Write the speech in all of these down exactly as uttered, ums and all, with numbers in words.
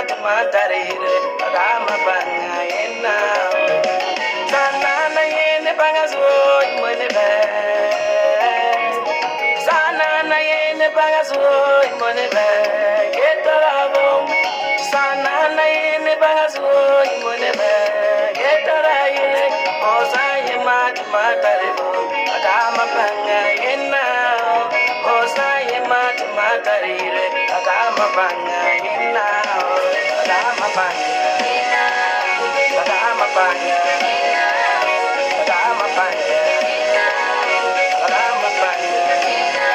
tuma tarire agama banga ina sana na yene banga zo imone be sana na yene banga zo imone be getarabo sana na yene banga zo imone be getaraile osaye mat mataribo agama banga ina osaye mat matarire agama banga ina agama banga ina agama banga ina agama banga ina agama banga ina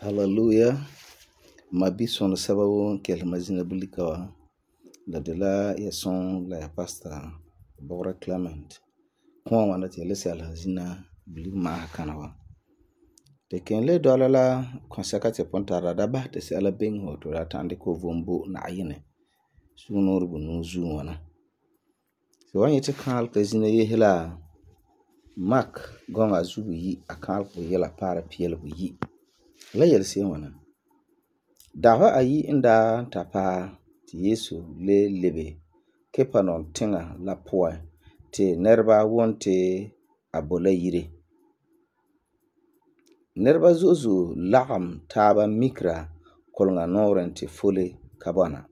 Hallelujah. Mabi son sababu kel mazina bulikawa la de la ya son la ya pastor Bora Clement kwa wana te lese ala zina bulik ma kanawa te ken le dola la konsaka te pontara da ba te se ala beng ho to da tande ko vombo na ayine sunor bu nu zu wana se wanye te kal ka zina ye hela Mark gonga zu yi akal ko yela para piel bu yi la yel se wana dawa ayi inda tapa ti Yesu le lebe kepanon tinga la poa te nerba wonte abola yire nerba zuzu lagam taba mikra kolnga noren te fole kabana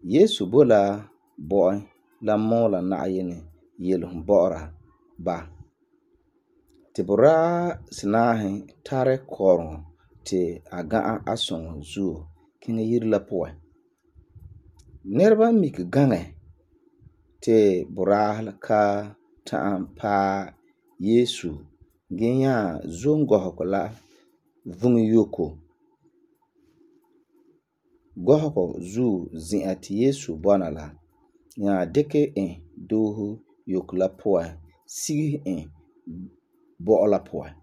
Yesu bola boy la mola na ayene yelhum bora ba te bora sinahe tare korn te aga ason zu kinga yir la poa nerba mik gange te bora ka ta pa Yesu genya zongo hokola vungi yoko gohoko zu ziati Yesu bona la nya deke en dohu yokla poa sigi en bo la poa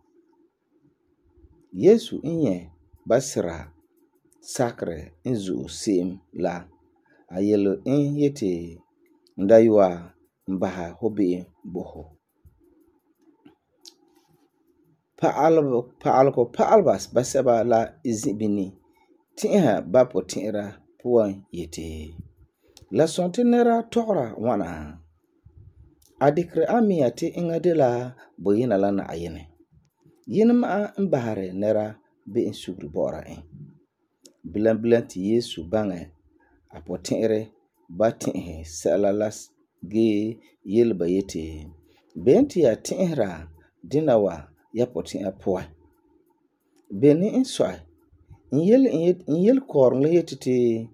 Yesu inye basira sakre inzu sim la ayelo in yete ndaywa mbaha hobi boho Pa'albo pa'alko pa'albas basaba la izibini tiha bapo tira puan yete la sonte nera tora wana adikre amiyate ingadela boyina la na ayene yinma mbahare nera be insugri bora en bilan bilan ti Yesu bange apotere batin sala las ge yelba yete benti ya tinra dinawa ya potin apoa beni insoi inyel inyel korn le yete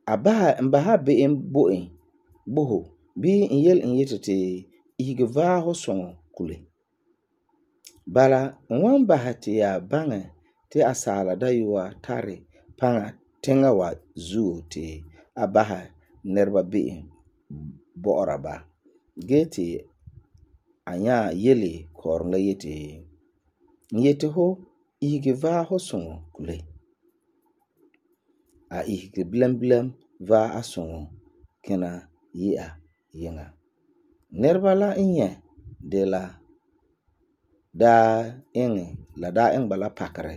abaha mbaha be en boen boho bi inyel inyete igva ho son kule bala wan bahati ya bange te asala dayuwa tare panga tenga wa zu te abaha nerba be bora ba gete anya yele kornga yete yete ho ige va ho son kule a ige blam blam va ason kena ya yenga nerba la inye de la da eng la da eng bala pakare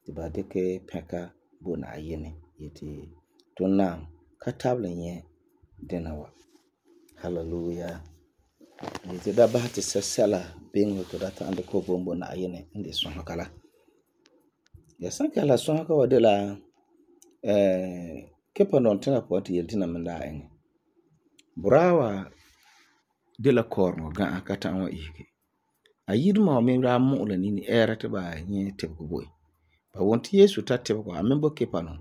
tiba deke peka bona ayene yete tonna katable nye denawa hallelujah yete da bahati sasala bengo to data ande ko bombo na ayene inde son kala ya sanka la son ka wadela eh kepa non tena poti yeltina manda eng burawa de la korno ga akata an wa ihke ayidma me ra mu la ni era te ba nye te ko boy ba wonti Yesu tatte ko amembo kepa non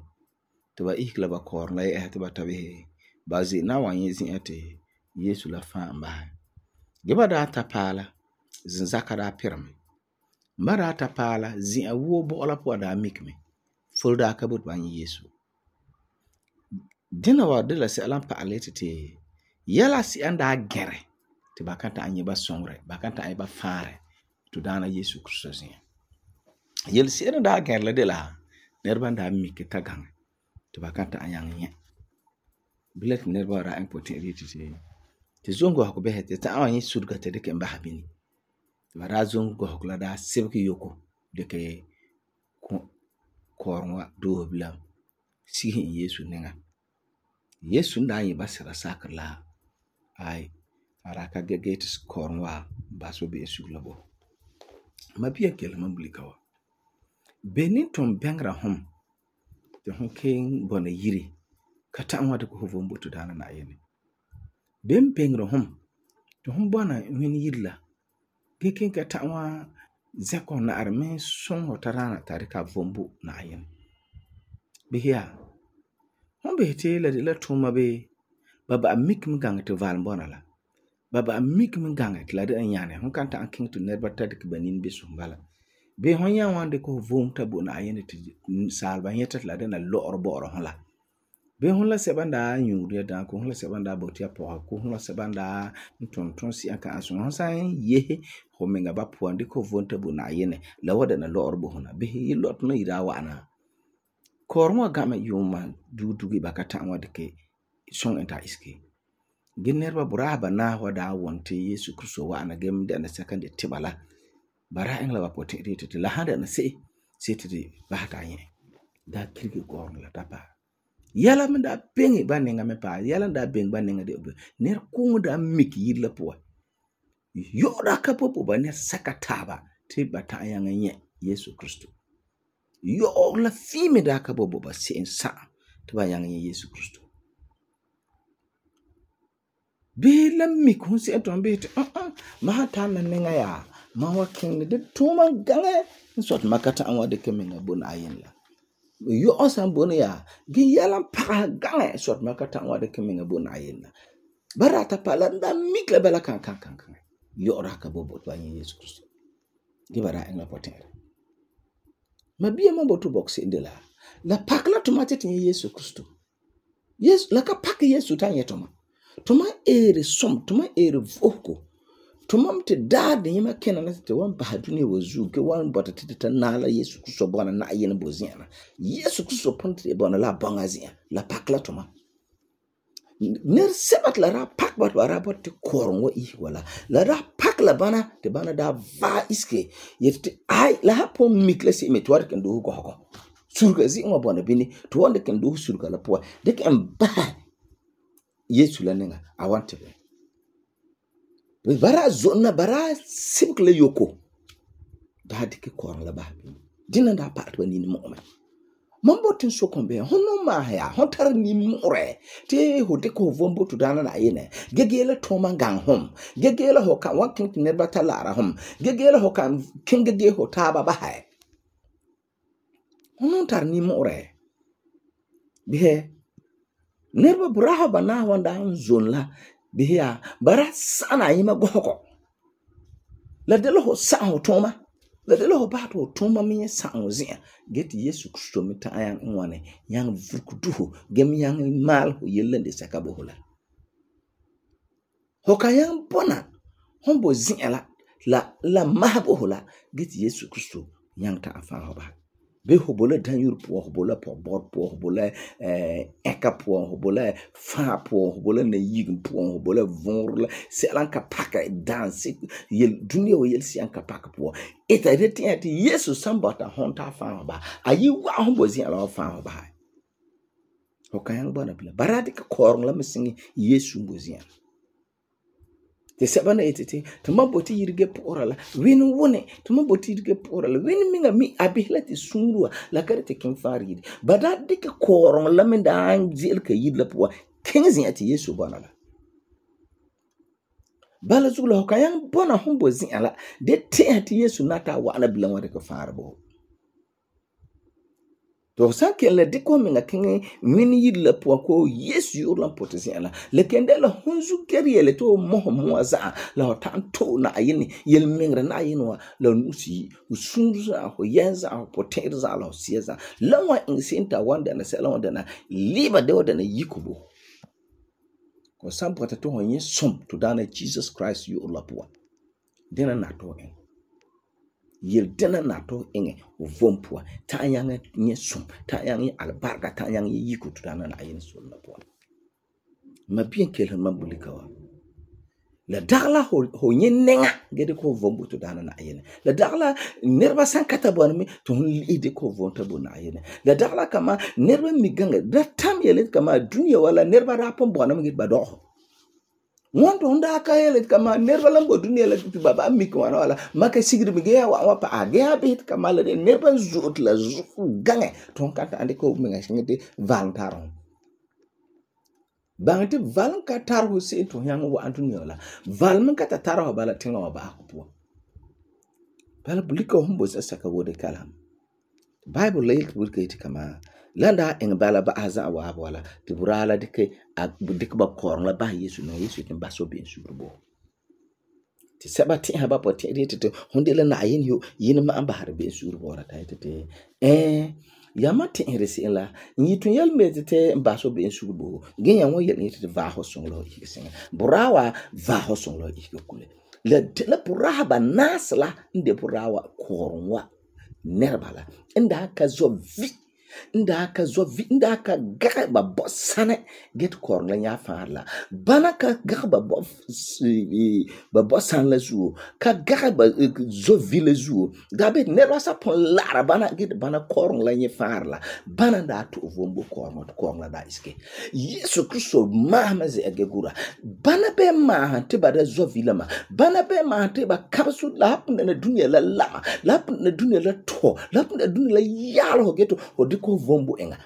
to ba ihkla ba korno la e te ba tabe ba zi na wa yin zin ate Yesu la fa mba geba da tapala zin zakara pirme mara tapala zin awo bo la po da mikme fulda ka but ba Yesu dina wa de la se alam pa aletete yala si anda gere te bakanta anye ba songre bakanta ay ba fare to dana Yesu Kristus ya yel si anda gere la de la nerba da mikke tagang te bakanta anyang nye bilet nerba ra impotent retete te zongo ko behete ta awani surga te de ke mba habini ba daa zon gɔhɔgɔ la daa sebege yoko dikɛ kɔɔrom wa doose bilam sige in Yesu niŋa. Yesu n daa nyɛ ba sɛla sakere la ai a daa ka gee ti kɔɔrom wa ba so be sugɛ la bo. Ma bia kelum man bulika wa. Beni ton bɛngera hom ti hom keen bɔna yire ka ta'am wa dikɛ ho vom bo to daana Na'ayinɛ. Ben bɛngera hom ti hom bɔna ŋmene yire la gee keen ka ta'am wa zɛkɛ ho na'arɛ me suŋɛ ho tadaana ta dikɛ a vom bo Na'ayinɛ. Bisɛ ya, hom bisɛ ti la de la tuuma bee ba ba'a mike me gaŋɛ ti valum bɔna la. Ba ba'a mike me gaŋɛ ti la de la nyane. Hom kan ta'am kiŋɛ ti nɛreba ta dikɛ ba nini bisɛ hom bala. Bee hon yan wan dikɛ ho vom ta bo Na'ayinɛ ti saaleba nyɛta ti la dena lɔ'ɔrɔ bɔ'ɔra hon la. Bee hon la sɛba n daa nyuuri ya daam, ko hon la sɛba n daa boti ya pɔga, ko hon la sɛba n daa n tum tunsi'a ka an suŋa. Hon san yehe ho miŋa ba puan dikɛ ho vom ta bo Na'ayinɛ, la wa dena lɔ'ɔrɔ bo hon na. Bisɛ yi lɔtɔ na yi daa wa'ana. Kɔɔrom wa gãmɛ yuuma dugi dugi ba ka ta'am wa dikɛ suŋɛ en ta isege. Gee nɛreba buraa banaa wa daa wum ti Yesu Kristo wa'ana gee me dɛna sɛka n de tiba la. Ba daa iŋɛ la ba puti'irɛ yeti ti la han dɛna se'em see ti di basɛ ta nyɛ. Daa kirige kɔɔrom la ta paɛ. Yɛla me daa beŋe ba niŋa me paɛ. Yɛla daa beŋe ba niŋa de nɛrekooŋɔ daa mike yire la puan. Yɔ'ɔra ka popo ba nɛresɛka taaba ti ba ta'am nyaŋɛ nyɛ Yesu Kristo. Yɔ'ɔ la fii me daa ka bo bo ba se'em sa'am ti ba nyaŋɛ nyɛ Yesu Kristo. Bee la mike hon se'em ton bee ti uh-uh, ma han ta'am na niŋa yaa, ma wa kiŋɛ de tuuma gaŋɛ n sɔi ti ma ka ta'am wa dikɛ miŋa bo Na'ayinɛ la. Yɔ'ɔ san bone yaa, gee yɛla n pagɛ gaŋɛ n sɔi ti ma ka ta'am wa dikɛ miŋa bo Na'ayinɛ la. Ba daa ta paɛ la daa mike la bala kan kan kan kan. Yɔ'ɔra ka bo bo ti ba nyɛ Yesu Kristo. Gee ba daa iŋɛ la puti'irɛ. Ma bia ma bo to bɔkɛ se'em de la, la pakɛ la tuma ti ti nyɛ Yesu Kristo. Yesu la ka pakɛ Yesu ta nyɛ tuma. Tuma eere som, tuma eere vo'osego. Tuma te daa de yema kena na ti wan basɛ dunia wa zuo ke wan bɔta ti ta naala Yesu Kristo bɔna Na'ayinɛ bo zi'an na. Yesu Kristo pun ti bɔna la bɔŋa zi'an, la pakɛ la tuma. Nɛr sɛba ti la daa pakɛ ba ti ba daa bɔta ti kɔɔrom wa isege wala. La daa pakɛ la bana ti bana daa vaɛ isege yeti ti ai la ha pun mike la se'em ti wa dikɛ doose gɔhɔgɔ. Surga zi'an wa bɔna bini ti wa dikɛ doose surga la puan. Dikɛ en basɛ Yesu la niŋa a wan tibɛ. Bara zonna bara sebege la yoko. Daa dikɛ kɔɔrom la basɛ bini. Dina daa paɛ ti ba nini mu'ume. Man botin so kon be hon no ma ya hon tar ni mure ti ho dikɛ ho vom bo to daana Na'ayinɛ. Gege la toma gang hom. Gege la ho kan wan kin ne ba ta lara hom. Gege la ho kan kin gege ho taaba basɛ. Hon tar ni mure. Bihe nerba buraha bana wanda zon la bihe ya bara sana yima gɔhɔgɔ. La de la ho sa ho toma. La de la ho ba to toma me sa ho zia. Get Yesu Kristo me ta ayan nwane yang vukuduhu gem yang mal ho yelende saka bo hola. Ho kayan bona hombo zia la la la mahabo hola get Yesu Kristo yang ta afa ho ba. Be ho bola dan yur po ho bola po bor po ho bola eh eka po ho bola fa po ho bola na yig po ho bola vonrla selan ka paka dance yel dunia wo yel sian ka paka po eta reti ati Yesu sambata honta fa ba ayi wa ho bozi ala fa ba ho kan bona bila barade ka korong la mesingi Yesu bozi te sabana etete to maboti yirge pora la wini wone to maboti yirge pora la wini minga mi abihla te sunruwa la karete kin faridi bada dike korong la min da anzil ka yidla po kinzi ati Yesu bana la bala zula ho kayan bona humbo zin ala de te ati Yesu nata wa ana bilan wa de ka farbo to sanke la diko minga kingi mini yidla po ko Yesu yurla potesi ala le kende la hunzu geriele to moho moza la tanto na ayini yel mingra na ayinwa la nusi usunza ho yenza ho poteza la sieza la wa insinta wanda na sela wanda na liba de wanda na yikubo ko sampota to honye som to dana Jesus Christ yurla po dena na to en yel dena na to enge vompua ta yanga nye sum ta yanga albarka ta yanga yikutu dana na ayin so na po ma bien kelen ma bulikawa La dagla ho ho nye nenga ge de ko vom to dana na yene. La dagla nerba san kata bon mi to li de ko vom ta bon na yene. La dagla kama nerba mi ganga da tam yele kama dunia wala nerba ra pon bon mi ba do. Wanda onda ka yele kama nerba lambo dunia la tu baba mi ko wala maka sigri mi ge wa wa pa age ha bit kama la nerba zut la zu gange ton kata ande ko mi ngati valentaron. Bangte val ka tar ho se to yang wa antunyo la val men ka tar ho bala tinga wa ba ko po bala bulika humbo sa saka wode kalam bible lay bulika iti kama landa en bala ba aza wa wala ti burala dike a dik ba korn la ba yesu no yesu tin ba so be surbo ti sabati ha ba poti iti to honde la na yin yo yin ma an ba har be surbo ra ta ite eh yamati inresi la nyitun yel metete mbaso be nsugo genya won yel nyitete va ho songlo ikisen burawa va ho songlo ikukule le la buraha ba nasla inde burawa kornwa nerbala inda ka zo vi inda ka zo vi inda ka ga ba bosane get kornla nya farla bana ka ga ba bo ba bosan la zu ka ga ba zo vi la zu gabe nerwa sa pon lara bana get bana kornla nya farla bana da to vombo korno kornla da iske yesu kristo mahama ze agegura bana be ma te ba da zo vi la ma bana be ma te ba kapsu la hapun na dunia la lama la hapun na dunia la to la hapun na dunia la yalo geto ko vombo enga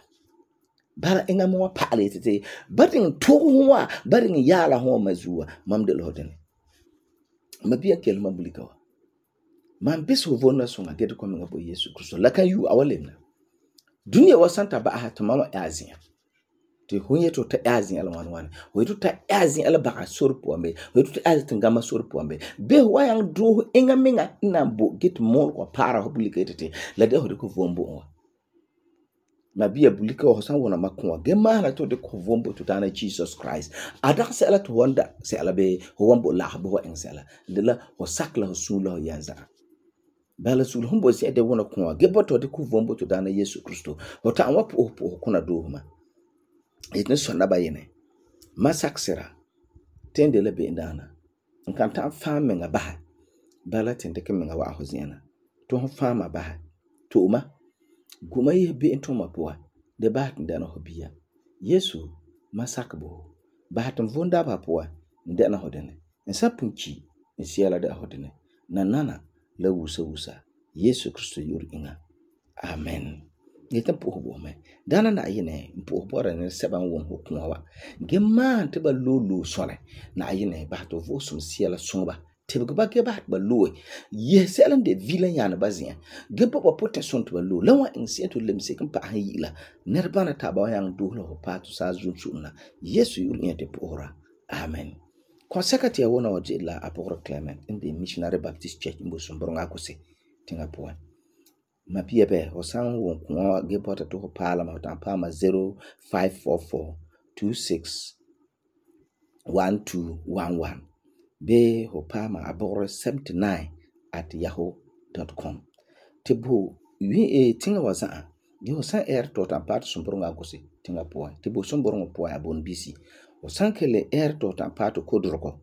bara enga mo pale tete batin to huwa barin yala ho mazuwa mamde loden mabia kelma bulikawa man biso vonna songa geto ko nga bo yesu kristo la kan yu awalemna dunia wasanta ba ha tamama azin te hunye to ta azin ala wan wan ho to ta azin ala ba sorpo ambe ho to ta azin ngama sorpo ambe be wayang do enga menga nambo get mo ko para ho bulikete la de ho ko vombo mabia bulika ho san wona makwa gema na to de ko vombo to tana Jesus Christ ada se ala to wanda se ala be ho wombo la ho en sela de la ho sakla ho sula ho yanza bala sul humbo se de wona kwa gebo to de ko vombo to tana Yesu Kristo ho ta wa po po kuna do ma itne sonna ba yene masaksera tende le be ndana nkan ta fam nga ba bala tende ke nga wa ho ziana to ho fama ba to ma guma yi be into mapua de bat ndana hobia yesu masakbo batam vonda papua ndana hodene nsapunchi nsiala da hodene na nana la wusa wusa yesu kristo yur inga amen yeta po hobo me dana na yene po bora ne seban won hokunwa gemma te ba lulu sone na yene bato vosum siala sonba tebe ba ke ba ba lo ye selan de vilan yana bazia ge papa protection to ba lo lawa in se to lemse kan pa hayila nerbana ta ba yang do lo pa to sa zun sunna yesu yur yete pora amen consecute ya wona waje la aporo Clement in the Missionary Baptist Church in Bosumbronga kose tinga po ma pia be o san won ko ge pota to pala ma ta pa ma zero five four four two six one two one one be hopama aboro seventy-nine at yahoo dot com tibu wi e tinga wasa ge o san air to ta pat sumbronga gosi tinga po tibu sumbronga po abon bc o san kele air to ta pat ko droko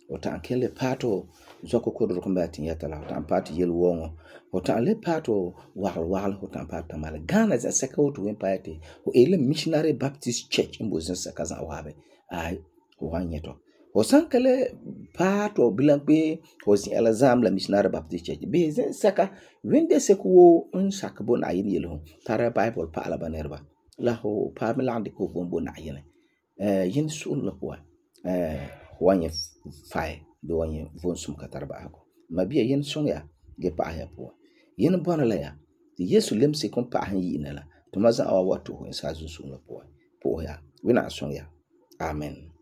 o ta kele pato zoko ko droko mbati yatala o ta pat yel wongo o ta le pato wal wal o ta pat mal Ghana za seka o to empire o ele Missionary Baptist Church in Bozin sakaza wabe ai o wanyeto o sankale pato bilampe o si alazam la Missionary Baptist Church be zen saka wende sekuo un sakbo na yin yelo para Bible pa ala banerba la ho pa melande ko bombo na yin eh yin sun la kwa eh wanye fai do wanye vonsum katarba ako mabia yin sun ya ge pa ya po yin bona la ya Yesu lemse kon pa han yin la to maza awa wato in sa sun la po po ya wina sun ya amen.